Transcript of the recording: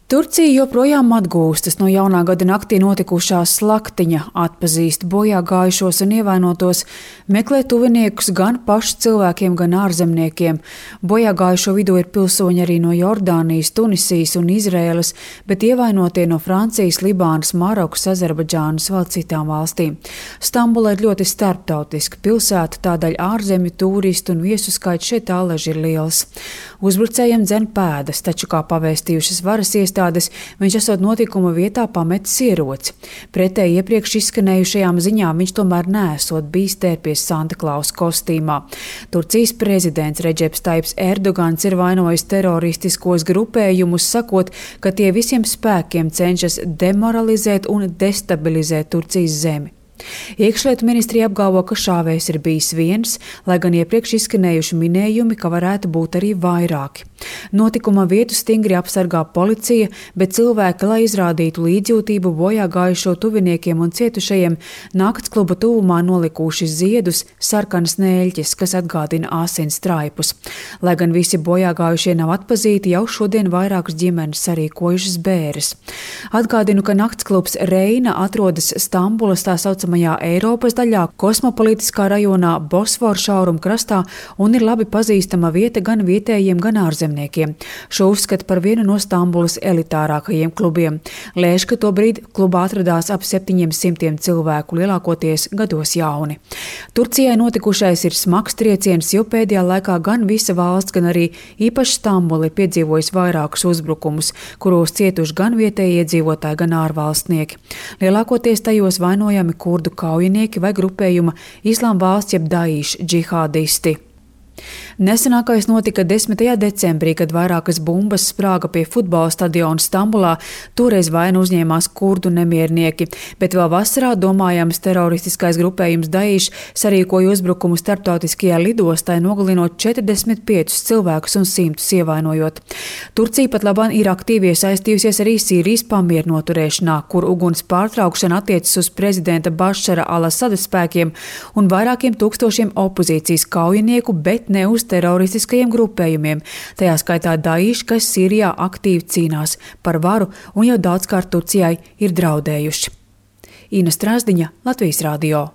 Turcija joprojām atgūstas no jaunā gada naktī notikušā slaktiņa, atpazīst bojā gājušos un ievainotos, meklē tuviniekus gan pašu cilvēkiem, gan ārzemniekiem. Bojā gājušo vidū ir pilsoņi arī no Jordānijas, Tunisijas un Izraēlas, bet ievainotie no Francijas, Libānas, Marokas, Azerbaidžānas, vēl citām valstīm. Stambula ir ļoti starptautiska pilsēta, tādēļ ārzemju tūristu un viesu skaits šeit tālaži ir liels. Uzbrucējiem dzen pēdas, taču, kā pavēstījušas varas iestādes, viņš esot notikuma vietā pametis ieroci. Pretēji iepriekš izskanējušajām ziņām viņš tomēr neesot bijis tērpies Santa Klausa kostīmā. Turcijas prezidents Redžeps Taips Erdogans ir vainojis teroristiskos grupējumus, sakot, ka tie visiem spēkiem cenšas demoralizēt un destabilizēt Turcijas zemi. Iekšlietu ministrija apgalvo, ka šāvējs ir bijis viens, lai gan iepriekš izskanējuši minējumi, ka varētu būt arī vairāki. Notikuma vietu stingri apsargā policija, bet cilvēki, lai izrādītu līdzjūtību bojā gājušo tuviniekiem un cietušajiem, naktskluba tuvumā nolikuši ziedus, sarkanas nēļķes, kas atgādina asins straipus. Lai gan visi bojā gājušie nav atpazīti, jau šodien vairākas ģimenes sarīkojušas bēres. Atgādinu, ka naktsklubs Reina atrodas Stambulas tā saucamajā Eiropas daļā, kosmopolitiskā rajonā Bosforu šauruma krastā un ir labi pazīstama vieta gan vietējiem, gan ārzemniekiem. Šo uzskata par vienu no Stambulas elitārākajiem klubiem. Lēš, ka tobrīd klubā atradās ap 700 cilvēku, lielākoties gados jauni. Turcijai notikušais ir smags trieciens, jo pēdējā laikā gan visa valsts, gan arī īpaši Stambula ir piedzīvojis vairākus uzbrukumus, kuros cietuši gan vietējie iedzīvotāji, gan ārvalstnieki. Lielākoties tajos vainojami kurdu kaujinieki vai grupējuma Islāma valsts jeb Daīša džihādisti. Nesenākais notika 10. decembrī, kad vairākas bumbas sprāga pie futbola stadiona Stambulā. Toreiz vainu uzņēmās kurdu nemiernieki, bet vēl vasarā domājams teroristiskais grupējums Daīš sarīkoja uzbrukumu starptautiskajā lidostā, nogalinot 45 cilvēkus un 100 ievainojot. Turcija pat labāk ir aktīvi iesaistījusies arī Sīrijas pamieru noturēšanā, kur uguns pārtraukšana attiecas uz prezidenta Bašara al-Asada spēkiem un vairākiem tūkstošiem opozīcijas kaujinieku, bet ne uz teroristiskajiem grupējumiem, tajā skaitā Daīš, kas Sīrijā aktīvi cīnās par varu un jau daudzkārt Turcijai ir draudējuši. Ina Strāzdiņa, Latvijas radio.